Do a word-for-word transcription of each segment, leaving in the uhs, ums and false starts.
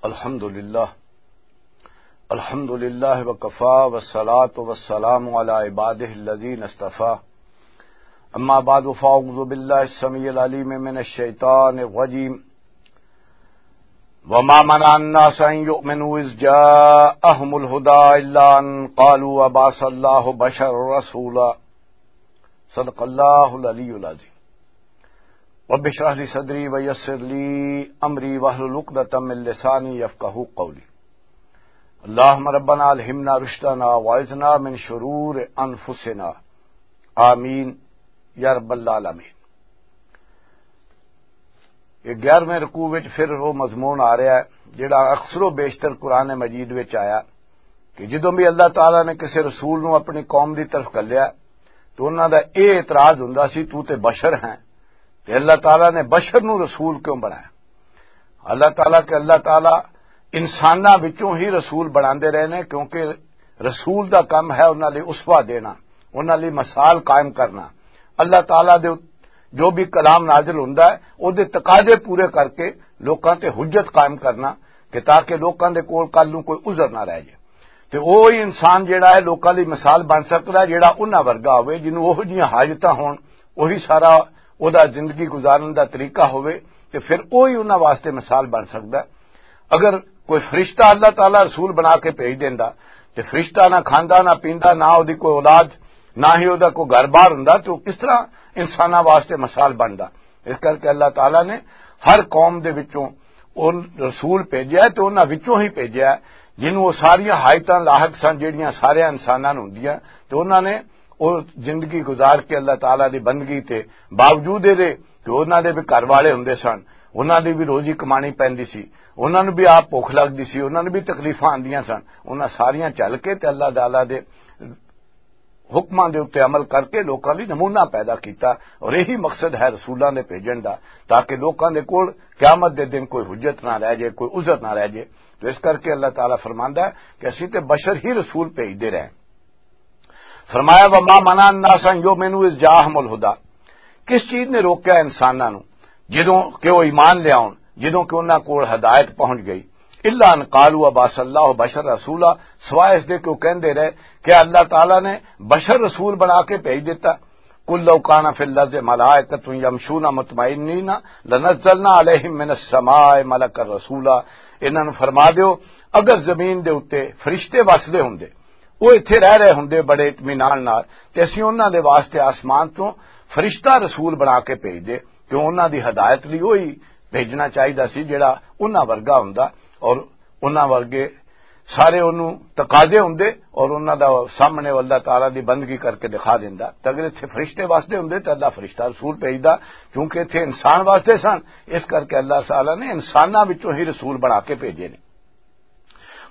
الحمد لله. الحمد لله وكفى، والصلاة والسلام على عباده الذين اصطفى. أما بعد، فأعوذ بالله السميع العليم من الشيطان الرجيم. وما منع الناس أن يؤمنوا إذ جاءهم الهدى إلا أن قالوا أبعث الله بشرا رسولا. صدق الله العلي العظيم. رب اشرح لي صدري ويسر لي أمري واحلل عقدة من لساني يفقهوا قولي. اللهم ربنا ألهمنا رشدنا وأعذنا من شرور أنفسنا. آمين يا رب العالمين. یہ گیارہویں رکوع وچ پھر وہ مضمون آ رہا ہے جڑا اکثر و بیشتر قرآن مجید وچ آیا کہ جدوں بھی اللہ تعالیٰ نے کسی رسول نو اپنی قوم دی طرف گھلیا تو انہاں دا یہ اعتراض ہوندا سی، تو تے بشر ہیں، تے اللہ تعالیٰ نے بشر نو رسول کیوں بنایا؟ اللہ تعالیٰ کہ اللہ تعالیٰ انساناں وچوں ہی رسول بناندے رہے نے، کیونکہ رسول دا کم ہے انہاں لئی اسوہ دینا، انہاں لئی مثال قائم کرنا۔ اللہ تعالیٰ دے جو بھی کلام نازل ہوندا ہے، او دے تقاضے پورے کر کے لوکاں تے حجت قائم کرنا کہ تاکہ لوکاں دے کول کل نوں کوئی عذر نہ رہ جائے۔ تے اوہی انسان جیڑا ہے لوکاں دی مثال بن سکدا ہے، جیڑا انہاں ورگا ہوئے، جنوں اوہو جیاں حاجتاں ہون، اوہی سارا اوہدا زندگی گزارن دا طریقہ ہوئے، تے پھر اوہی انہاں واسطے مثال بن سکدا ہے۔ اگر کوئی فرشتہ اللہ تعالیٰ رسول بنا کے بھیج دیندا، تے فرشتہ نہ کھاندا، نہ پیندا، نہ اوہدی کوئی اولاد، نہ ہی اوہدا کوئی گھر بار ہوندا، تے او کس طرح انساناں واسطے مثال بندا؟ اس کر کے اللہ تعالیٰ نے ہر قوم دے وچوں او رسول بھیجیا ہے تے انہاں وچوں ہی بھیجیا ہے جنہوں او ساریاں حاجتاں لاحق سن جہڑیاں سارے انساناں نوں ہوندیاں، تے انہاں نے او زندگی گزار کے اللہ تعالیٰ دی بندگی تے باوجود اے دے کہ انہاں دے بھی گھر والے ہوندے سن، انہاں دی بھی روزی کمانی پیندی سی، انہاں نوں بھی آپ بھوک لگدی سی، انہاں نوں بھی تکلیفاں آندیاں سن، انہاں ساریاں چل کے تے اللہ تعالیٰ دے حکماں دے اُتے عمل کر کے لوکاں لئی نمونہ پیدا کیتا۔ اور یہی مقصد ہے رسولاں دے بھیجن دا، تاکہ لوکاں دے کول قیامت دے دن کوئی حجت نہ رہ جائے، کوئی عذر نہ رہ جائے۔ تو اس کر کے اللہ تعالیٰ فرماندا ہے کہ اسی تے بشر ہی رسول بھیجدے رہے۔ فرمایا، "وما منع الناس ان یؤمنوا اذ جاءهم الہدی۔" کس چیز نے روکیا انساناں نوں جدوں کہ وہ ایمان لے آؤن، جدوں کہ انہاں کول ہدایت پہنچ گئی؟ "الا ان قالوا ابعث اللہ بشر رسولا"، سوائے اس دے کہ وہ کہندے رہے کہ اللہ تعالیٰ نے بشر رسول بنا کے بھیج دیتا۔ "قل لو کان فی الارض ملائکۃ یمشون مطمئنین لنزلنا علیہم من السماء ملکا رسولا"، انہاں نوں فرما دیو، اگر زمین دے اُتے فرشتے وسدے ہوندے، وہ ایتھے رہ رہے ہوندے بڑے اطمینان نال، تے اسی انہاں دے واسطے آسمان تو فرشتہ رسول بنا کے بھیج دے، کیوں انہاں دی ہدایت لئی وہی بھیجنا چاہیدا سی جڑا انہاں ورگا ہوندا، اور انہاں ورگے سارے انہوں تقاضے ہوندے، اور انہاں دا سامنے وہ اللہ تعالیٰ دی بندگی کر کے دکھا دیندا۔ تے اگر ایتھے فرشتے واسطے ہوندے تے اللہ فرشتہ رسول بھیجدا، کیونکہ ایتھے انسان واسطے سن، اس کر کے اللہ تعالیٰ نے انساناں وچوں ہی رسول بنا کے بھیجے نے۔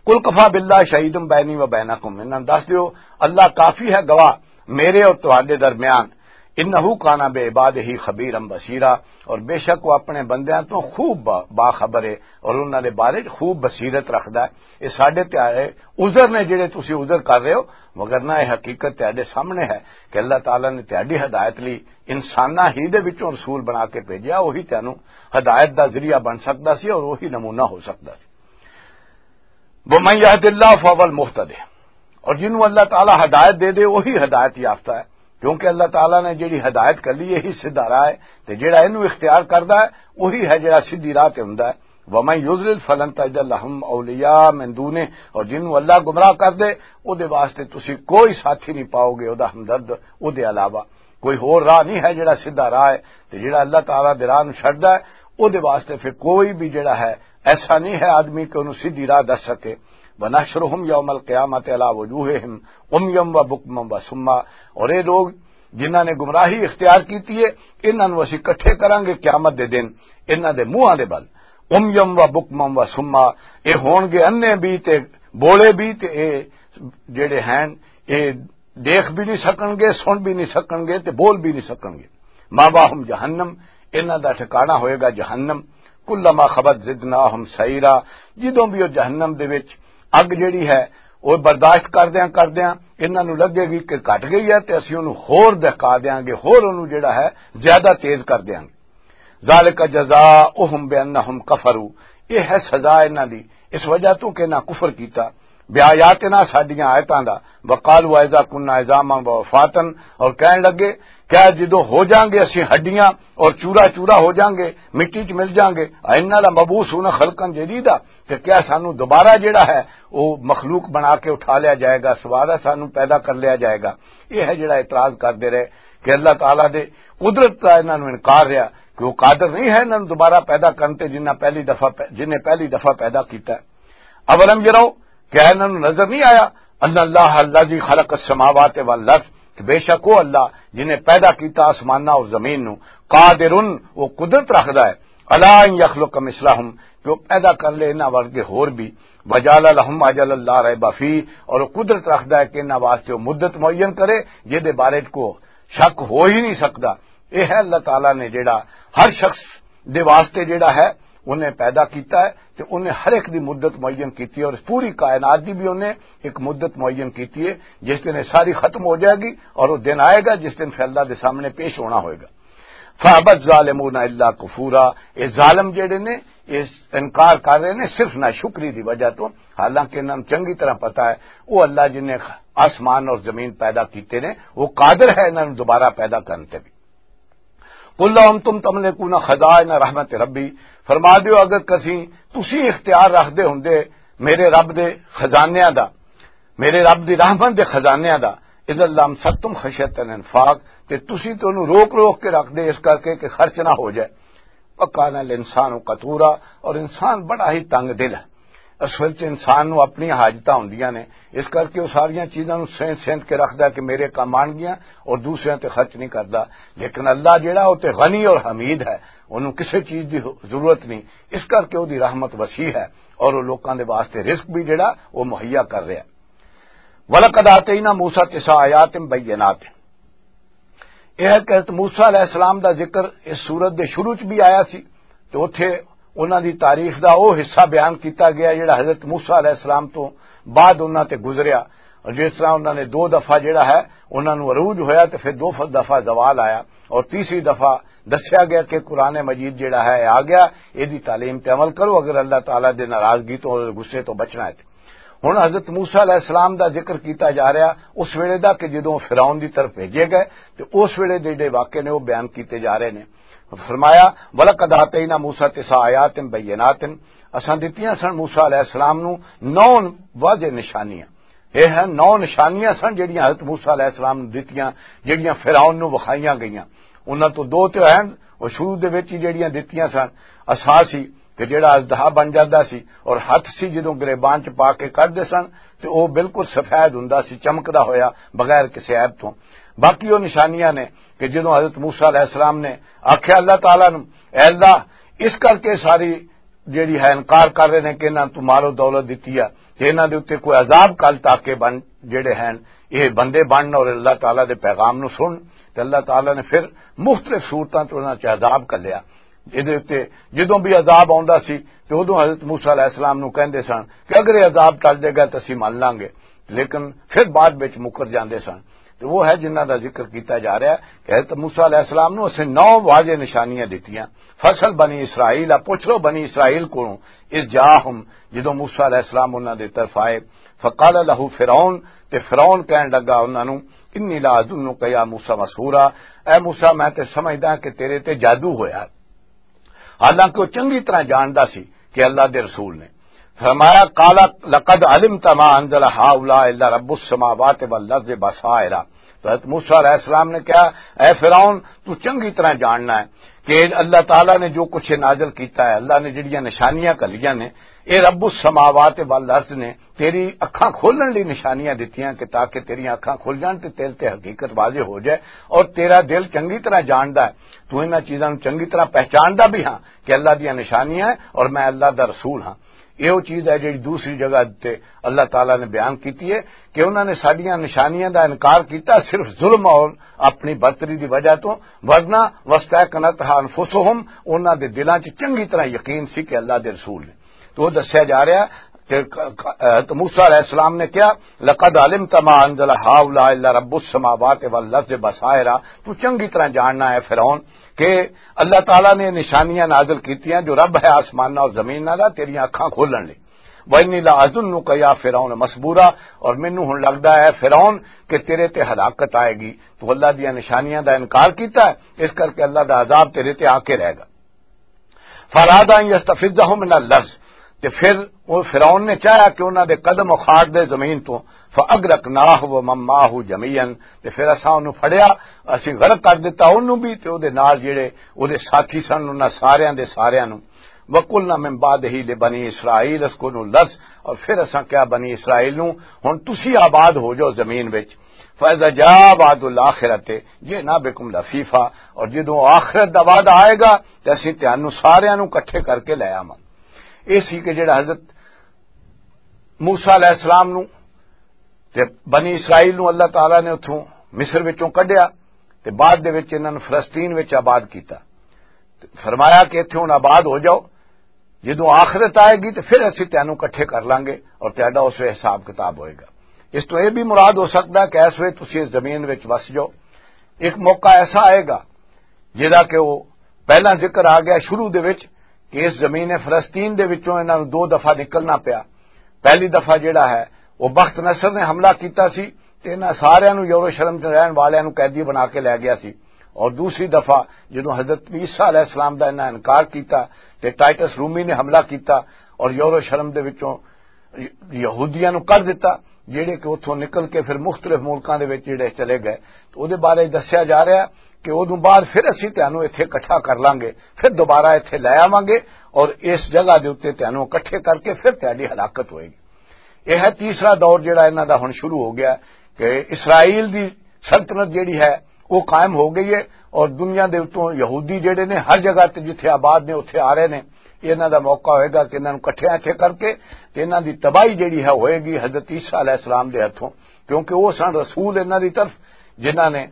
"قل کفی باللہ شہیدا بینی و بینکم"، انہاں نوں دس دیو، اللہ کافی ہے گواہ میرے اور تہاڈے درمیان، "انہ کان بعبادہ خبیرا بصیرا"، اور بے شک وہ اپنے بندیاں تو خوب با-، باخبر ہے اور انہاں دے بارے خوب بصیرت رکھدا ہے۔ یہ ساڈے تے آئے عذر نے جڑے تسی عذر کر رہے ہو، مگر نہ یہ حقیقت تہاڈے سامنے ہے کہ اللہ تعالیٰ نے تہاڈی ہدایت لئی انساناں ہی دے وچوں رسول بنا کے بھیجیا، وہی تینوں ہدایت دا ذریعہ بن سکدا سی اور وہی نمونہ ہو سکدا سی۔ "ومن یہد اللہ فہو المہتد"، اور جنوں اللہ تعالیٰ ہدایت دے دے، وہی ہدایت یافتہ ہے، کیونکہ اللہ تعالیٰ نے جڑی ہدایت کر لی، یہی سیدھا راہ ہے، تے جڑا اینوں اختیار کردا ہے، وہی ہے جڑا سیدھی راہ تے ہوندا ہے۔ "ومن یضلل فلن تجد لہم اولیاء من دونہ"، اور جنوں اللہ گمراہ کر دے، او دے واسطے تسی کوئی ساتھی نہیں پاؤ گے، او دا ہمدرد، او دے علاوہ۔ کوئی ہور راہ نہیں ہے جڑا سیدھا راہ ہے، تے جڑا اللہ تعالیٰ دے راہ نوں چھڈدا ہے، او دے واسطے پھر کوئی بھی جڑا ہے ایسا نہیں ہے آدمی کہ انہوں سیدھی راہ دس سکے۔ "ونحشرہم یوم القیامۃ علی وجوہہم عمیا و بکما و صما"، اور یہ لوگ جنہاں نے گمراہی اختیار کیتی ہے، انہاں نوں اسی اکٹھے کراں گے قیامت دے دن انہاں دے منہاں دے بل، عمیا و بکما و صما، یہ ہون گے انے بھی تے بولے بھی، تے یہ جڑے ہیں یہ دیکھ بھی نہیں سکن گے، سن بھی نہیں سکن گے تے بول بھی نہیں سکن گے۔ "مأواہم جہنم"، انہاں دا ٹھکانہ ہوئے گا جہنم۔ "کلما خبت زدناہم سعیرا"، جدوں بھی وہ جہنم دے وچ اگ جڑی ہے وہ برداشت کردیاں کردیاں انہاں نوں لگے گی کہ گھٹ گئی ہے، تے اسی انہوں ہور دہکا دیاں گے، ہور انہوں جڑا ہے زیادہ تیز کر دیاں گے۔ "ذالک جزاؤہم بانہم کفروا"، یہ ہے سزا انہاں دی، اس وجہ تو کہ انہاں کفر کیتا، بیااتنا، ساڈیاں آیتاں دا، وقالوا اذا كنا عظاما ورفاتا، اور کہن لگے، کیا جدوں ہو جاؤں گے اسی ہڈیاں اور چورا چورا ہو جاؤں گے، مٹی چ مل جاؤں گے، انا لمبعوثون خلقا جدیدا، کہ کیا سانو دوبارہ جڑا ہے وہ مخلوق بنا کے اٹھا لیا جائے گا، دوبارہ سانو پیدا کر لیا جائے گا؟ یہ ہے جڑا اعتراض کردے رہے کہ اللہ تعالیٰ دے قدرت کا انہاں نوں انکار رہا، کہ وہ قادر نہیں ہے انہاں نوں دوبارہ پیدا کرن تے، جنہاں پہلی دفعہ پہ-، جنہیں پہلی دفعہ پیدا کیتا ہے۔ اولم یرو، کیا انہاں نوں نظر نہیں آیا؟ ان اللہ الذی خلق السماوات والارض، کہ بے شک وہ اللہ جنہیں پیدا کیتا آسماناں اور زمین نوں، قادر، وہ قدرت رکھدا ہے، علی ان یخلق مثلہم، کہ وہ پیدا کر لے انہاں ورگے ہور بھی، وجعل لہم اجلا لا ریب فیہ، اور وہ قدرت رکھدا ہے کہ انہاں واسطے وہ مدت معین کرے جس دے بارے کو شک ہو ہی نہیں سکدا۔ یہ ہے اللہ تعالیٰ نے جڑا ہر شخص دے واسطے جڑا ہے انہیں پیدا کیتا ہے، تے انہیں ہر ایک دی مدت معین کیتی ہے، اور اس پوری کائنات دی بھی انہیں ایک مدت معین کیتی ہے، جس دن یہ ساری ختم ہو جائے گی اور وہ دن آئے گا جس دن پھر اللہ دے سامنے پیش ہونا ہوئے گا۔ فَأَبَى الظَّالِمُونَ إِلَّا كُفُورًا، یہ ظالم جڑے نے، یہ انکار کر رہے نے صرف ناشکری دی وجہ تو، حالانکہ انہاں نوں چنگی طرح پتا ہے وہ اللہ جن نے آسمان اور زمین پیدا کیتے نے، وہ قادر ہے انہاں نوں دوبارہ پیدا کرن تے بھی۔ قل لو انتم تملکون خزائن رحمت ربی، فرما دیو، اگر کسی، تسی اختیار رکھ دے ہوندے میرے رب دے خزانیاں دا، میرے رب دی رحمت دے خزانیاں دا، اذا لامسکتم خشیت الانفاق، تے تسی تے انہوں روک روک کے رکھ دے اس کر کے کہ خرچ نہ ہو جائے۔ وکان الانسان قتورا، اور انسان بڑا ہی تنگ دل ہے۔ اصل وچ انسان نوں اپنی حاجتاں ہوندیاں نے، اس کر کے وہ ساریاں چیزاں نوں سینت سینت کے رکھدا کہ میرے کم آن گیاں، اور دوسریاں تے خرچ نہیں کردا۔ لیکن اللہ جڑا، وہ تے غنی اور حمید ہے، انہوں کسے چیز دی ضرورت نہیں، اس کر کے وہ دی رحمت وسیع ہے، اور وہ لوکاں دے واسطے رزق بھی جڑا، وہ مہیا کر رہا ہے۔ وَلَقَدْ آتَيْنَا مُوسَىٰ تِسْعَ آيَاتٍ بَيِّنَاتٍ۔ یہ ہے کہ حضرت موسیٰ علیہ السلام دا ذکر اس سورت دے شروع چ بھی آیا سی، تو اتھے انہاں دی تاریخ دا او حصہ بیان کیتا گیا جڑا حضرت موسیٰ علیہ السلام تو بعد انہاں تے گزریا، اور جس طرح انہاں نے دو دفعہ جڑا ہے انہاں نوں عروج ہویا، تے پھر دو ف-، دفعہ زوال آیا، اور تیسری دفعہ دسیا گیا کہ قرآن مجید جڑا ہے آ گیا، یہ دی تعلیم تے عمل کرو اگر اللہ تعالیٰ دے ناراضگی تو اور غصے تو بچنا ہے۔ ہن حضرت موسیٰ علیہ السلام دا ذکر کیتا جا رہا اس ویلے دا کہ جدوں فرعون دی طرف بھیجے گئے، تے اس ویلے دے جڑے واقعے نے وہ بیان کیتے جا رہے نے۔ فرمایا، "ولقد آتینا موسیٰ تسع آیات بینات"، اساں دتیاں سن موسیٰ علیہ السلام نو نو واضح نشانیاں۔ یہ ہیں نو نشانیاں سن جڑیاں حضرت موسیٰ علیہ السلام نو دتیاں، جڑیاں فرعون نو وکھائیاں گئیاں۔ انہاں تو دو تے ہیں، وہ شروع دے وچ ہی جڑیاں دتیاں سن، اساسی کہ جڑا اژدہا بن جاندا سی اور ہتھ سی جدوں گریبان چ پا کے کڈدے سن تے او بالکل سفید ہوندا سی، چمکدا ہویا، بغیر کسے عیب تو۔ باقی او نشانیاں نے کہ جدوں حضرت موسیٰ علیہ السلام نے آکھیا اللہ تعالیٰ نو، "اے اللہ، اس کر کے ساری جیڑی ہے انکار کر رہے نے کہ انہاں تو مال و دولت دتی ہے تے انہاں دے اُتے کوئی عذاب کل تاکہ بن جیڑے ہیں، یہ بندے بن اور اللہ تعالیٰ دے پیغام نو سن۔" تے اللہ تعالیٰ نے پھر مختلف صورتاں تو انہاں چ عذاب کلیا۔ جدے اُتے جدوں بھی عذاب آوندا سی تے اُدوں حضرت موسیٰ علیہ السلام نو کہندے سن کہ اگر یہ عذاب ٹل جائے گا تے اسی من لاں گے، لیکن پھر بعد وچ مکر جاندے سن۔ تے وہ ہے جنہاں دا ذکر کیتا جا رہا ہے کہ حضرت موسیٰ علیہ السلام نو اسے نو واضح نشانیاں دتیاں۔ فصل بنی اسرائیل آ، پوچھ لو بنی اسرائیل کولوں، اذ جاءہم، جدوں موسیٰ علیہ السلام انہاں دے طرف آئے، فقال لہ فرعون، تے فرعون کہن لگا انہاں نوں، انی لا اظنک یا موسیٰ مسحورا، اے موسیٰ میں تے سمجھدا کہ تیرے تے جادو ہویا۔ حالانکہ وہ چنگی طرح جاندا سی کہ اللہ دے رسول نے۔ فرمایا، "قال لقد علمت ما انزل هؤلاء الا رب السماوات والارض بصائر۔" تو حضرت موسیٰ علیہ السلام نے کہا، "اے فرعون، تو چنگی طرح جاننا ہے کہ اللہ تعالیٰ نے جو کچھ نازل کیتا ہے، اللہ نے جڑیاں نشانیاں گھلیاں نے، اے رب السماوات والارض نے تیری اکھاں کھولن لئی نشانیاں دتیاں کہ تاکہ تیریاں اکھاں کھل جان تے تیرے تے حقیقت واضح ہو جائے اور تیرا دل چنگی طرح جاندا ہے، تو انہاں چیزاں نوں چنگی طرح پہچاندا بھی ہاں کہ اللہ دیاں نشانیاں ہیں اور میں اللہ دا رسول ہاں۔" یہ وہ چیز ہے جڑی دوسری جگہ تے اللہ تعالیٰ نے بیان کیتی ہے کہ انہاں نے ساڈیاں نشانیاں دا انکار کیتا صرف ظلم اور اپنی برتری دی وجہ تو، ورنہ واستيقنتها أنفسهم، انہاں دے دلاں چ چنگی طرح یقین سی کہ اللہ دے رسول نے۔ تو وہ دسیا جا رہا تے ک-، ک-، حضرت موسیٰ علیہ السلام نے کہا، "لقد علمت ما انزل هؤلاء الا رب السماوات والارض بصائر۔" تو چنگی طرح جاننا ہے فرعون کہ اللہ تعالیٰ نے نشانیاں نازل کیتیاں جو رب ہے آسماناں اور زمین دا، تیریاں اکھاں کھولن لئی۔ "وانی لا اظنک یا فرعون مسبورا۔" اور مینوں ہن لگدا ہے فرعون کہ تیرے تے ہلاکت آئے گی، تو اللہ دیاں نشانیاں دا انکار کیتا ہے، اس کر کے اللہ دا عذاب تیرے تے آ کے رہے گا۔ فاراد ان یستفزہم من الارض، تے پھر وہ فرعون نے چاہیا کہ انہاں دے قدم اخاڑ دے زمین تو، فاغرقناہ ومن معہ جمیعا، تے پھر اساں انہوں پھڑیا، اسی غرق کر دتا انہوں بھی تے او دے نال جڑے او دے ساتھی سن، انہاں ساریاں دے ساریاں نوں۔ وقلنا من بعدہ لبنی اسرائیل اسکنوا الارض، اور پھر اساں کہا بنی اسرائیل نوں، ہن تسی آباد ہو جاؤ زمین وچ۔ فاذا جاء وعد الاخرۃ جئنا بکم لفیفا، اور جدوں آخرت دا وعدہ آئے گا تے اسی تانوں ساریاں نوں اکٹھے کر کے لے آواں۔ یہ سی کہ جڑا حضرت موسیٰ علیہ السلام نوں تے بنی اسرائیل نوں اللہ تعالیٰ نے اتھوں مصر وچوں کڈیا تے بعد دے وچ انہاں نوں فلسطین وچ آباد کیتا۔ تے فرمایا کہ اتھے ہن آباد ہو جاؤ، جدوں آخرت آئے گی تے پھر اسی تینوں اکٹھے کر لانگے اور تہاڈا اس ویلے حساب کتاب ہوئے گا۔ اس تو یہ بھی مراد ہو سکدا کہ اس ویلے تسی اس زمین وچ وس جاؤ۔ ایک موقع ایسا آئے گا جہدا کہ وہ پہلا ذکر آ گیا شروع دے وچ کہ اس زمین فلسطین دے وچوں انہاں نوں دو دفعہ نکلنا پیا۔ پہلی دفعہ جڑا ہے وہ بخت نصر نے حملہ کیتا سی تے انہاں ساریاں نوں یروشلم تے رہن والیاں نوں قیدی بنا کے لے گیا سی، اور دوسری دفعہ جدوں حضرت عیسیٰ علیہ السلام دا انہاں انکار کیتا تے ٹائٹس رومی نے حملہ کیتا اور یروشلم دے وچوں یہودیاں نوں کر دتا، جڑے کہ اتھوں نکل کے پھر مختلف ملکاں دے وچ جڑے چلے گئے۔ تو او دے بارے دسیا جا رہا ہے کہ اودوں بعد پھر اسی تانوں ایتھے اکٹھا کر لانگے، پھر دوبارہ ایتھے لے آواں گے اور اس جگہ دے اُتے تانوں اکٹھے کر کے پھر تہاڈی ہلاکت ہوئے گی۔ یہ ہے تیسرا دور جڑا انہاں دا ہن شروع ہو گیا کہ اسرائیل دی سلطنت جڑی ہے وہ قائم ہو گئی ہے، اور دنیا دے اتوں یہودی جڑے نے ہر جگہ تے جتھے آباد نے اتھے آ رہے نے۔ یہ انہاں دا موقع ہوئے گا کہ انہاں نوں اکٹھے اکٹھے کر کے تے انہاں دی تباہی جڑی ہے ہوئے گی حضرت عیسیٰ علیہ السلام دے ہتھوں، کیونکہ وہ سن رسول انہاں دی طرف، جنہاں نے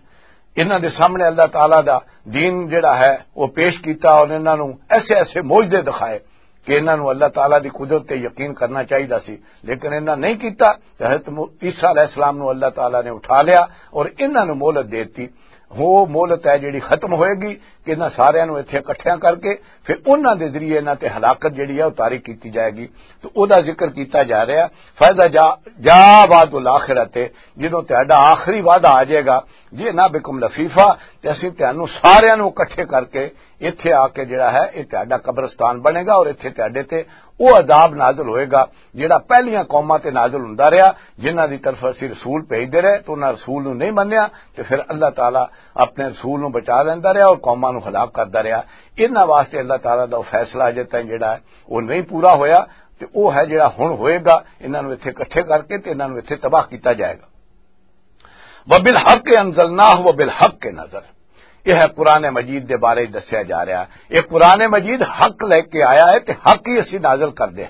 انہاں دے سامنے اللہ تعالیٰ دا دین جڑا ہے وہ پیش کیتا اور انہاں نوں ایسے ایسے معجزے دکھائے کہ انہاں نوں اللہ تعالیٰ دی قدرت تے یقین کرنا چاہیدا سی، لیکن انہاں نہیں کیتا۔ تے حضرت مو-، عیسیٰ علیہ السلام نوں اللہ تعالیٰ نے اٹھا لیا اور انہاں نوں مہلت دے دتی۔ وہ مہلت ہے جڑی ختم ہوئے گی کہ انہاں ساریاں نوں ایتھے اکٹھیاں کر کے پھر انہاں دے ذریعے انہاں تے ہلاکت جڑی ہے وہ طاری کیتی جائے گی۔ تو او دا ذکر کیتا جا رہا ہے۔ فیضا جا، جا وعد الاخرت، جدوں تہاڈا آخری وعدہ آ جائے گا، جی نہ بکم لفیفا، تے اسی تہانوں ساریاں نوں اکٹھے کر کے ایتھے آ کے جڑا ہے، یہ تہاڈا قبرستان بنے گا اور ایتھے تہاڈے تے او عذاب نازل ہوئے گا جڑا پہلیاں قوماں تے نازل ہوندا رہیا، جنہاں دی طرف اسی رسول بھیجدے رہے تو انہاں رسول نوں نہیں منیا، تے پھر اللہ تعالیٰ اپنے رسول نوں بچا لیندا رہیا اور قوماں نوں ہلاک کردا رہیا۔ انہاں واسطے اللہ تعالیٰ دا او فیصلہ اجے تائیں جڑا ہے، او نہیں پورا ہویا، تے او ہے جڑا ہن ہوئے گا، انہاں نوں ایتھے اکٹھے کر کے تے انہاں نوں ایتھے تباہ کیتا جائے گا۔ وَبِالْحَقِّ أَنزَلْنَاهُ وَبِالْحَقِّ نَزَلَ۔ یہ ہے قرآن مجید دے بارے دسیا جا رہا ہے۔ یہ قرآن مجید حق لے کے آیا ہے تے حق ہی اسی نازل کر دے۔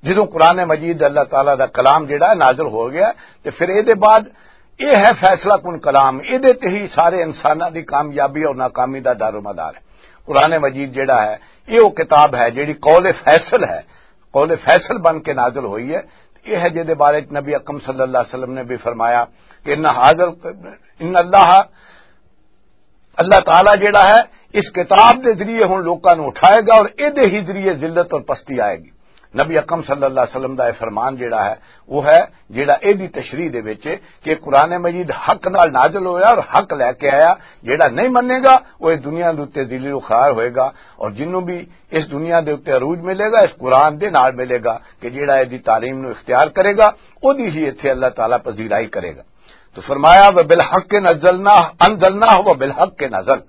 جدوں قرآن مجید اللہ تعالیٰ دا کلام جڑا ہے نازل ہو گیا، تے پھر اے دے بعد اے ہے فیصلہ کن کلام، اے دے تے ہی سارے انساناں دی کامیابی اور ناکامی دا دار و مدار ہے۔ قرآن مجید جڑا ہے، اے او کتاب ہے جڑی قول فیصل ہے، قول فیصل بن کے نازل ہوئی ہے۔ یہ ہے جے دے بارے چ نبی اکرم صلی اللہ علیہ وسلم نے بھی فرمایا کہ ان حاضر، ان اللہ، اللہ تعالیٰ جڑا ہے اس کتاب دے ذریعے ہن لوکاں نوں اٹھائے گا اور اے دے ہی ذریعے ذلت اور پستی آئے گی۔ نبی اکرم صلی اللہ علیہ وسلم دا یہ فرمان جڑا ہے وہ ہے جڑا اے دی تشریح دے وچ کہ قرآن مجید حق نال نازل ہویا اور حق لے کے آیا، جڑا نہیں منے گا وہ اس دنیا دے اُتے ذلیل و خوار ہوئے گا، اور جنوں بھی اس دنیا دے اُتے عروج ملے گا اس قرآن دے نال ملے گا کہ جڑا اے دی تعلیم نو اختیار کرے گا، او دی ہی ایتھے اللہ تعالیٰ پذیرائی کرے گا۔ تو فرمایا، "وَبِالْحَقِّ نَزَلْنَاهُ، أَنزَلْنَاهُ وَبِالْحَقِّ نَزَلَ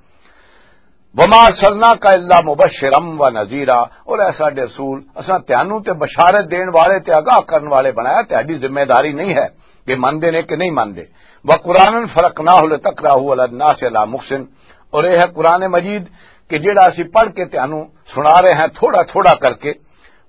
وَمَا أَرْسَلْنَاكَ إِلَّا مُبَشِّرًا وَنَذِيرًا۔" اور اے ساڈے رسول، اساں تانوں تے بشارت دین والے تے آگاہ کرن والے بنایا، تہاڈی ذمہ داری نہیں ہے کہ مندے نے کہ نہیں مندے۔ وَقُرْآنًا فَرَقْنَاهُ لِتَقْرَأَهُ عَلَى النَّاسِ عَلَى مُكْثٍ، اور اے ہے قرآن مجید کہ جڑا اسی پڑھ کے تانوں سنا رہے ہیں تھوڑا تھوڑا کر کے۔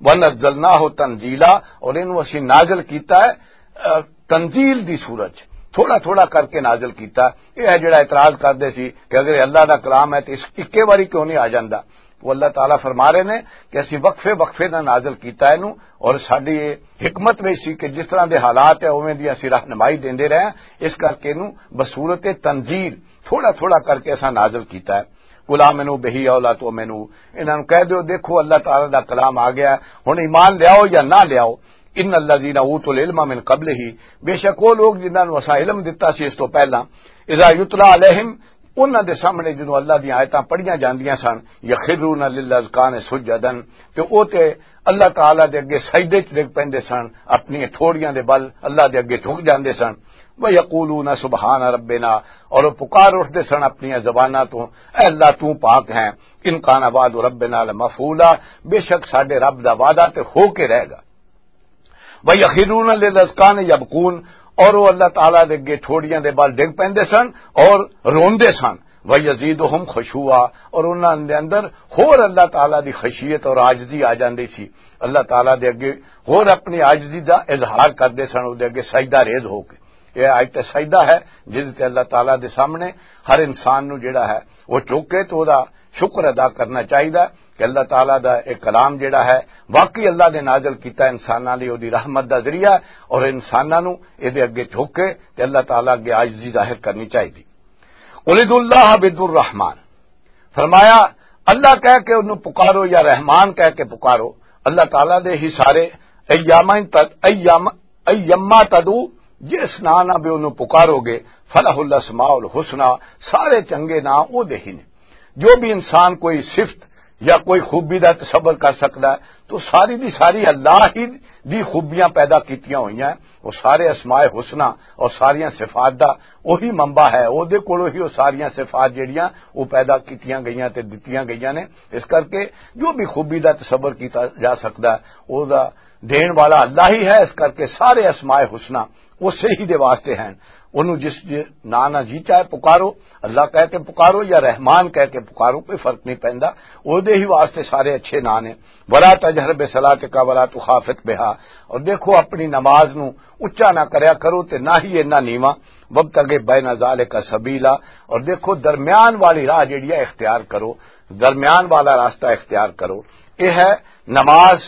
وَنَزَّلْنَاهُ تَنزِيلًا، اور اینوں اسی نازل کیتا ہے، آ، تنزیل دی صورت چ، تھوڑا تھوڑا کر کے نازل کیتا۔ یہ ہے جڑا اعتراض کردے سی کہ اگر یہ اللہ دا کلام ہے تو اس اکے واری کیوں نہیں آ جاندا؟ وہ اللہ تعالیٰ فرما رہے نے کہ اسی وقفے وقفے نہ نازل کیتا ہے نو، اور ساڈی یہ حکمت وچ سی کہ جس طرح دے حالات ہے اوویں دی اسی رہنمائی دیندے رہے ہیں۔ اس کر کے نو بصورت تنزیل تھوڑا تھوڑا کر کے اساں نازل کیتا ہے۔ "قل آمنوا بہ او لا تؤمنوا"، انہاں نوں کہہ دیو، "دیکھو، اللہ تعالیٰ دا کلام آ گیا ہے، ہن ایمان لیاؤ یا نہ لیاؤ۔" "ان الذین اوتوا العلم من قبلہ"، بے شک وہ لوگ جنہاں نوں اساں علم دتا سی اس تو پہلاں، "اذا یتلی علیہم"، انہاں دے سامنے جدوں اللہ دیاں آیتاں پڑھیاں جاندیاں سن، "یخرون للاذقان سجدا"، تے او تے اللہ تعالیٰ دے اگے سجدے چ ڈگ پیندے سن، اپنی ٹھوڑیاں دے بل اللہ دے اگے جھک جاندے سن۔ "ویقولون سبحان ربنا"، اور وہ پکار اٹھدے سن اپنی زباناں تو، "اے اللہ، تو پاک ہیں، ان کان وعد ربنا لمفعولا"، بے شک ساڈے رب دا وعدہ تے ہو کے رہے گا۔ "ویخرون للاذقان یبکون"، اور وہ اللہ تعالیٰ دے اگے ٹھوڑیاں دے بل ڈگ پیندے سن اور روندے سن۔ "ویزیدہم خشوعا"، اور انہاں دے اندر ہور اللہ تعالیٰ دی خشیت اور عاجزی آ جاندی سی۔ اللہ تعالیٰ دے اگے ہور اپنی عاجزی دا اظہار کردے سن، او دے اگے سجدہ ریز ہو کے۔ یہ آج تے سجدہ ہے جس تے اللہ تعالیٰ دے سامنے ہر انسان نو جڑا ہے وہ چوکے تو دا شکر ادا کرنا چاہیدا کہ اللہ تعالیٰ دا ایک کلام جڑا ہے واقعی اللہ نے نازل کیتا انساناں لئی، او دی رحمت دا ذریعہ، اور انساناں نو اے دے اگے جھک کے تے اللہ تعالیٰ اگے عاجزی ظاہر کرنی چاہیدی۔ "قل ادعوا اللہ بد الرحمن"، فرمایا، اللہ کہہ کے انہوں پکارو یا رحمان کہہ کے پکارو، اللہ تعالیٰ دے ہی سارے ایام تد-، ایام، ایما تدعو، جس نام نہ بھی انہوں پکارو گے، فلہ الاسماء الحسنی، سارے چنگے نام او دے ہی نے۔ جو بھی انسان کوئی صفت یا کوئی خوبی دا تصور کر سکدا ہے، تو ساری دی ساری اللہ ہی دی خوبیاں پیدا کیتیاں ہوئیاں ہیں۔ وہ سارے اسماء حسنی اور ساریاں صفات دا وہی منبع ہے، او دے کولوں ہی وہ ساریاں صفات جڑیاں وہ پیدا کیتیاں گئیاں تے دتیاں گئیاں نے۔ اس کر کے جو بھی خوبی دا تصور کیتا جا سکدا ہے، او دا دین والا اللہ ہی ہے۔ اس کر کے سارے اسماء حسنی اسی ہی دے واسطے ہیں۔ انہوں جس جے ناں نہ جی چاہے پکارو، اللہ کہہ کے پکارو یا رحمان کہہ کے پکارو، کوئی فرق نہیں پیندا، او دے ہی واسطے سارے اچھے ناں نے۔ "ولا تجہر بصلاتک ولا تخافت بہا"، اور دیکھو اپنی نماز نو اچا نہ کریا کرو تے نہ ہی اتنا نیواں، "وابتغ بین ذالک سبیلا"، اور دیکھو درمیان والی راہ جڑی ہے اختیار کرو، درمیان والا راستہ اختیار کرو۔ یہ ہے نماز،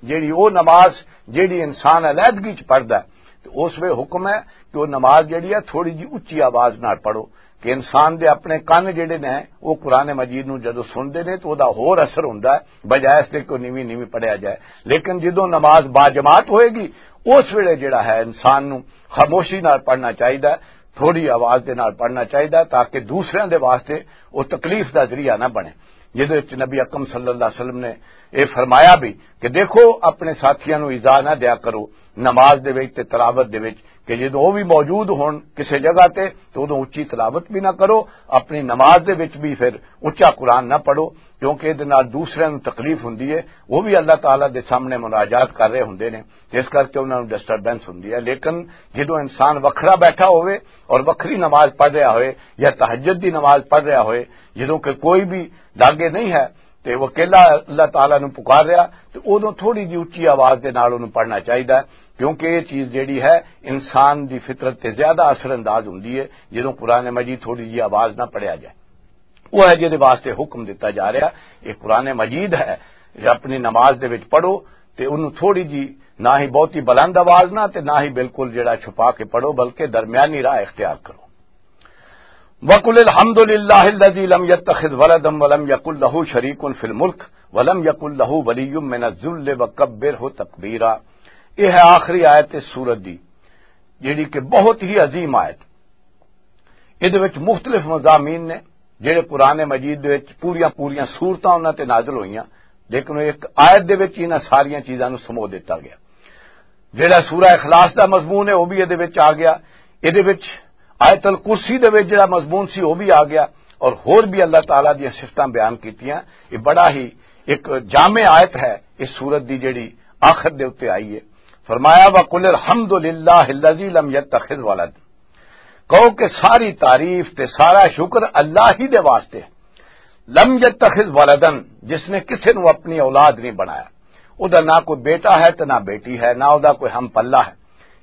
جیڑی او نماز جیڑی انسان علیحدگی چ پڑھدا ہے، تے اس ویلے حکم ہے کہ او نماز جیڑی ہے تھوڑی جی اچی آواز نال پڑھو، کہ انسان دے اپنے کن جیڑے نے او قرآن مجید نو جدوں سنتے نے تو او دا ہور اثر ہوندا ہے، بجائے اس دے کہ او نیویں نیویں پڑھیا جائے۔ لیکن جدوں نماز باجماعت ہوئے گی، اس ویلے جیڑا ہے انسان نو خاموشی نال پڑھنا چاہیدا ہے، تھوڑی آواز دے نال پڑھنا چاہیدا ہے، تاکہ دوسریاں دے واسطے او تکلیف دا ذریعہ نہ بنے۔ جدے وچ نبی اکرم صلی اللہ علیہ وسلم نے اے فرمایا بھی کہ دیکھو، اپنے ساتھیاں نو ایذا نہ دیا کرو نماز دے وچ تے تلاوت دے وچ، کہ جدوں او بھی موجود ہون کسے جگہ تے، تو اودوں اچی تلاوت بھی نہ کرو، اپنی نماز دے وچ بھی پھر اچا قرآن نہ پڑھو، کیونکہ اے دے نال دوسرے نوں تکلیف ہوندی ہے، وہ بھی اللہ تعالیٰ دے سامنے مناجات کر رہے ہوندے نے، تے اس کر کے انہاں نوں ڈسٹربنس ہوندی ہے۔ لیکن جدوں انسان وکھرا بیٹھا ہوئے اور وکھری نماز پڑھ رہا ہوئے یا تہجد دی نماز پڑھ رہا ہوئے، جدوں کہ کوئی بھی لاگے نہیں ہے، تے وہ اکیلا اللہ تعالیٰ نوں پکار رہا، تے اودوں تھوڑی جی اچی آواز دے نال اونوں پڑھنا چاہیدا ہے، کیونکہ یہ چیز جیڑی ہے انسان دی فطرت تے زیادہ اثر انداز ہوندی ہے جدوں قرآن مجید تھوڑی جی آواز نہ پڑھیا جائے۔ وہ ہے جہدے واسطے حکم دتا جا رہا، یہ قرآن مجید ہے، یہ اپنی نماز دے وچ پڑھو، تے اونوں تھوڑی جی، نہ ہی بہتی بلند آواز نہ تے نہ ہی بالکل جڑا چھپا کے پڑھو، بلکہ درمیانی راہ اختیار کرو۔ وَقُلِ الْحَمْدُ لِلَّهِ الَّذِي لَمْ يَتَّخِذْ وَلَدًا وَلَمْ يَكُنْ لَهُ شَرِيكٌ فِي الْمُلْكِ وَلَمْ يَكُنْ لَهُ وَلِيٌّ مِّنَ الذُّلِّ وَكَبِّرْهُ تَكْبِيرًا۔ یہ ہے آخری آیت اس سورت دی، جیڑی کہ بہت ہی عظیم آیت۔ اے دے وچ مختلف مضامین نے، جڑے قرآن مجید دے وچ پوریاں پوریاں سورتاں انہاں تے نازل ہوئیاں، لیکن ایک آیت دے وچ انہاں ساریاں چیزاں نوں سمو دتا گیا۔ جڑا سورہ اخلاص دا مضمون ہے، وہ بھی اے دے وچ آ گیا۔ اے دے وچ آیت الکرسی دے وچ جڑا مضمون سی، وہ بھی آ گیا۔ اور ہور بھی اللہ تعالیٰ دیاں صفتاں بیان کیتیاں۔ یہ بڑا ہی ایک جامع آیت ہے اس سورت دی، جڑی آخر دے اُتے آئی ہے۔ فرمایا، "وَقُلِ الْحَمْدُ لِلَّهِ الَّذِي لَمْ يَتَّخِذْ وَلَدًا۔" کہو کہ ساری تعریف تے سارا شکر اللہ ہی دے واسطے ہے۔ لم یتخذ ولدن، جس نے کسے نو اپنی اولاد نہیں بنایا۔ او دا نہ کوئی بیٹا ہے تے نہ بیٹی ہے، نہ او دا کوئی ہم پلہ ہے۔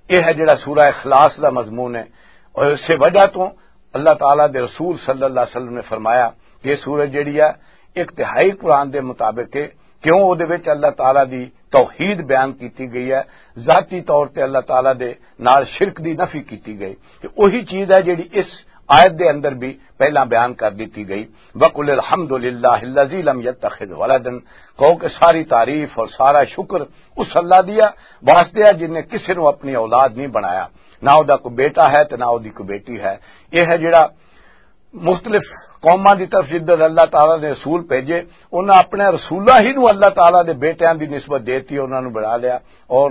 یہ ہے جڑا سورہ اخلاص دا مضمون ہے۔ اور اس وجہ تو اللہ تعالیٰ دے رسول صلی اللہ علیہ وسلم نے فرمایا کہ یہ سورہ جڑی ہے، ایک تہائی قرآن دے مطابق ہے، کیوں؟ او دے وچ اللہ تعالیٰ دی توحید بیان کیتی گئی ہے، ذاتی طور تے اللہ تعالیٰ دے نال شرک دی نفی کیتی گئی۔ تے وہی چیز ہے جڑی اس آیت دے اندر بھی پہلا بیان کر دتی گئی۔ وَقُلِ الْحَمْدُ لِلَّهِ الَّذِي لَمْ يَتَّخِذْ وَلَدًا، کہو کہ ساری تعریف اور سارا شکر اس اللہ دیا واسطے ہے جن نے کسے نو اپنی اولاد نہیں بنایا، نہ او دا کوئی بیٹا ہے تے نہ او دی کوئی بیٹی ہے۔ یہ ہے جڑا مختلف قوماں دی طرف جدھر اللہ تعالیٰ نے رسول بھیجے، انہاں اپنے رسولاں ہی نو اللہ تعالیٰ دے بیٹیاں دی نسبت دیتی، انہاں نو بنا لیا۔ اور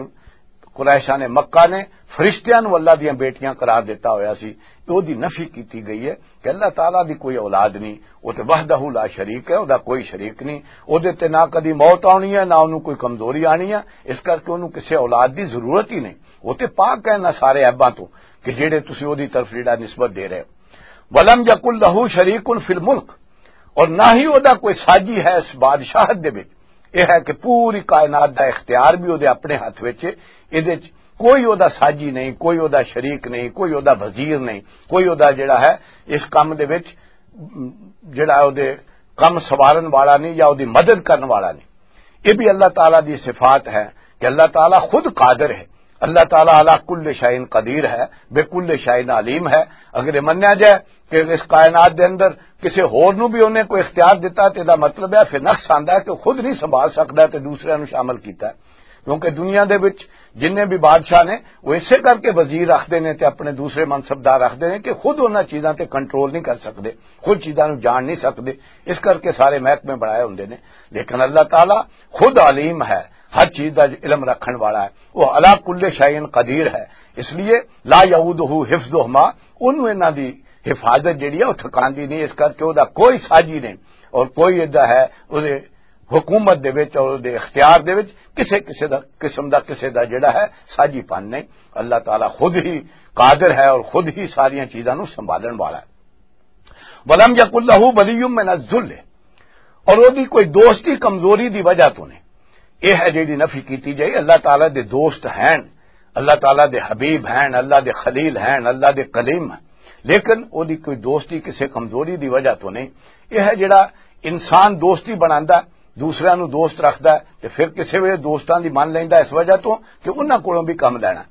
قریشاں نے، مکہ نے فرشتیاں نو اللہ دیاں بیٹیاں قرار دیتا ہویا سی۔ تو دی نفی کیتی گئی ہے کہ اللہ تعالیٰ دی کوئی اولاد نہیں، وہ تے وحدہ لا شریک ہے، او دا کوئی شریک نہیں۔ او دے تے نہ کدی موت آنی ہے، نہ انہوں کوئی کمزوری آنی ہے۔ اس کر کے انہوں کسے اولاد دی ضرورت ہی نہیں۔ وہ تے پاک ہے نہ سارے عیباں تو کہ جڑے تسی او دی طرف جڑا نسبت دے رہے ہو۔ وَلَمْ يَكُنْ لَهُ شَرِيكٌ فِي الْمُلْكِ، اور نہ ہی او دا کوئی ساجی ہے اس بادشاہت دے وچ۔ یہ ہے کہ پوری کائنات دا اختیار بھی او دے اپنے ہاتھ وچ ہے۔ اے دے وچ کوئی او دا ساجی نہیں، کوئی او دا شریک نہیں، کوئی او دا وزیر نہیں، کوئی او دا جڑا ہے اس کم دے وچ، جڑا او دے کم سوارن والا نہیں یا او دی مدد کرن والا نہیں۔ یہ بھی اللہ تعالیٰ دی صفات ہے کہ اللہ تعالیٰ خود قادر ہے۔ اللہ تعالیٰ علی کل شیء قدیر ہے، بے کل شیء علیم ہے۔ اگر یہ منیا جائے کہ اس کائنات دے اندر کسی ہور نو بھی انہیں کوئی اختیار دیتا، تے دا مطلب ہے پھر نقص آندا ہے کہ خود نہیں سنبھال سکدا تے دوسرے نو شامل کیتا ہے۔ کیونکہ دنیا دے وچ جنہیں بھی بادشاہ نے، وہ اسے کر کے وزیر رکھدے نے تے اپنے دوسرے منصبدار رکھدے نے کہ خود انہاں چیزاں تے کنٹرول نہیں کر سکدے، خود چیزاں نو جان نہیں سکدے۔ اس کر کے سارے محکمے بنائے ہوندے نے۔ لیکن اللہ تعالیٰ خود علیم ہے، ہر چیز دا علم رکھن والا ہے، وہ علی کل شیء قدیر ہے۔ اس لیے لا یعودہ حفظہما، انہوں انہاں دی حفاظت جڑی ہے وہ تھکاندی نہیں، اس کر کے وہ دا کوئی ساجی نہیں اور کوئی ادا ہے وہ دے حکومت دے وچ اور دے اختیار دے وچ کسے، کسے دا قسم دا، کسے دا جڑا ہے ساجی پن نہیں۔ اللہ تعالیٰ خود ہی قادر ہے اور خود ہی ساریاں چیزاں نو سنبھالن والا ہے۔ وَلَمْ يَكُنْ لَهُ وَلِيٌّ مِّنَ الذُّلِّ، اور وہ دی کوئی دوستی کمزوری دی وجہ تو نہیں۔ یہ ہے جڑی نفی کیتی جائی، اللہ تعالیٰ دے دوست ہیں، اللہ تعالیٰ دے حبیب ہیں، اللہ دے خلیل ہیں، اللہ دے کلیم ہیں، لیکن وہ دی کوئی دوستی کسے کمزوری دی وجہ تو نہیں۔ یہ ہے جڑا انسان دوستی بناندا، دوسرے نو دوست رکھدا ہے تے پھر کسے ویلے دوستاں دی من لیندا اس وجہ تو کہ انہاں کولوں بھی کم لینا۔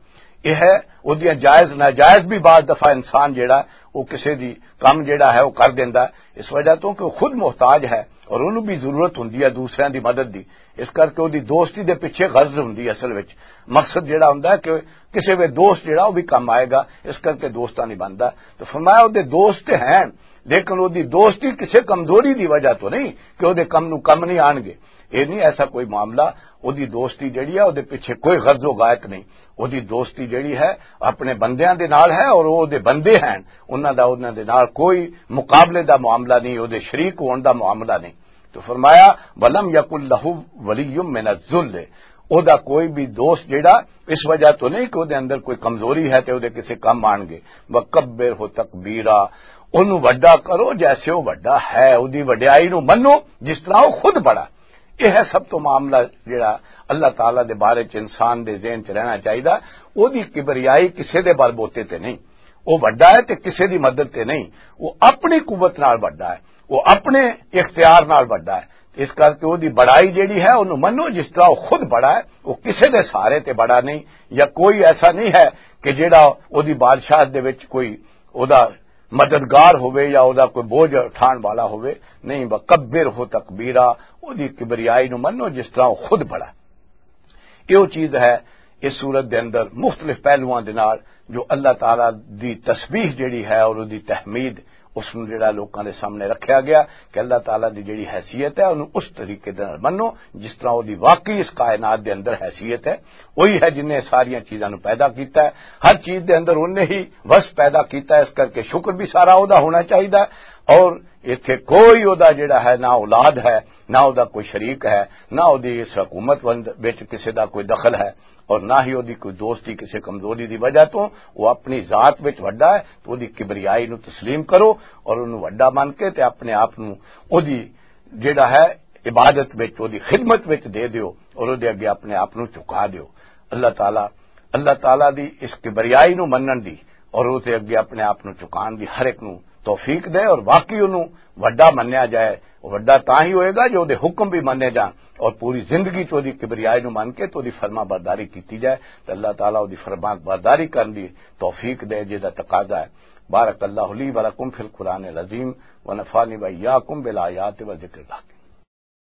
یہ ہے، اودیاں جائز ناجائز بھی بعض دفعہ انسان جیڑا، وہ کسے دی کم جیڑا ہے وہ کر دیندا ہے، اس وجہ تو کہ وہ خود محتاج ہے اور انہوں بھی ضرورت ہوندی ہے دوسرے دی مدد دی۔ اس کر کے اودی دوستی دے پیچھے غرض ہوندی ہے اصل وچ، مقصد جیڑا ہوندا ہے کہ کسے وے دوست جیڑا وہ بھی کم آئے گا، اس کر کے دوستاں نہیں بندا۔ تو فرمایا اودے دوست تے ہیں، لیکن اودی دوستی کسے کمزوری دی وجہ تو نہیں کہ اودے کم نو کم نہیں آن گے۔ یہ نہیں ایسا کوئی معاملہ۔ اودی دوستی جڑی ہے، اودے پیچھے کوئی غرض و غایت نہیں۔ اودی دوستی جڑی ہے، اپنے بندیاں دے نال ہے اور اودے بندے ہیں، انہاں دا انہاں دے نال کوئی مقابلے دا معاملہ نہیں، اودے شریک ہون دا معاملہ نہیں۔ تو فرمایا، "ولم یکن لہ ولی من الذل"، او دا کوئی بھی دوست جڑا اس وجہ تو نہیں کہ اودے اندر کوئی کمزوری ہے تے اودے کسے کم آن گے۔ "وکبر ہو تکبیرا"، اونوں وڈا کرو جیسے او وڈا ہے، اودی وڈیائی نو منو جس طرح او خود بڑا۔ یہ ہے سب تو معاملہ جڑا اللہ تعالیٰ دے بارے چ انسان دے ذہن چ رہنا چاہیدا۔ او دی کبریائی کسے دے بل بوتے تے نہیں، او وڈا ہے تے کسے دی مدد تے نہیں، او اپنی قوت نال وڈا ہے، او اپنے اختیار نال وڈا ہے۔ اس کر کے او دی بڑائی جڑی ہے، اونوں منو جس طرح او خود بڑا ہے، او کسے دے سہارے تے بڑا نہیں، یا کوئی ایسا نہیں ہے کہ جڑا او دی بادشاہت دے وچ کوئی او دا مددگار ہوئے یا او دا کوئی بوجھ اٹھان والا ہوئے، نہیں، وکبر ہو تکبیرا، او دی کبریائی نو منو جس طرح او خود بڑا۔ یہ وہ چیز ہے اس صورت دے اندر مختلف پہلوؤں دے نال جو اللہ تعالیٰ دی تسبیح جڑی ہے اور دی تحمید، اس نوں جڑا لوکاں دے سامنے رکھیا گیا کہ اللہ تعالیٰ دی جڑی حیثیت ہے، انہوں اس طریقے دے نال منو جس طرح وہ دی واقعی اس کائنات دے اندر حیثیت ہے۔ وہی ہے جن نے ساریاں چیزاں نوں پیدا کیتا ہے، ہر چیز دے اندر انہیں ہی وس پیدا کیتا ہے، اس کر کے شکر بھی سارا وہ دا ہونا چاہیدا ہے۔ اور ایتھے کوئی وہ دا جڑا ہے، نہ اولاد ہے، نہ وہ دا کوئی شریک ہے، نہ وہ دی اس حکومت وند-، وچ کسے دا کوئی دخل ہے، اور نہ ہی وہ دی کوئی دوستی کسے کمزوری دی وجہ تو۔ وہ اپنی ذات وچ وڈا ہے، تو وہ دی کبریائی نو تسلیم کرو اور انہوں وڈا من کے تے اپنے آپ نو وہ دی جڑا ہے عبادت وچ، وہ دی خدمت وچ دے دیو اور وہ دے اگے اپنے آپ نو جھکا دیو۔ اللہ تعالیٰ، اللہ تعالیٰ دی اس کبریائی نو منن دی اور وہ دے اگے اپنے آپ نو جھکان دی ہر ایک نو توفیق دے اور واقعی انہوں وڈا منیا جائے۔ وڈا تاں ہی ہوئے گا جو اودے حکم بھی منے جان اور پوری زندگی چ اودی کبریائی نو من کے تے اودی فرما برداری کیتی جائے، تے اللہ تعالیٰ اودی فرما برداری کرن دی توفیق دے، جس دا تقاضا ہے۔ بارک اللہ لی و لکم فی القرآن العظیم، و نفعنی و ایاکم بالآیات و ذکر الحکیم۔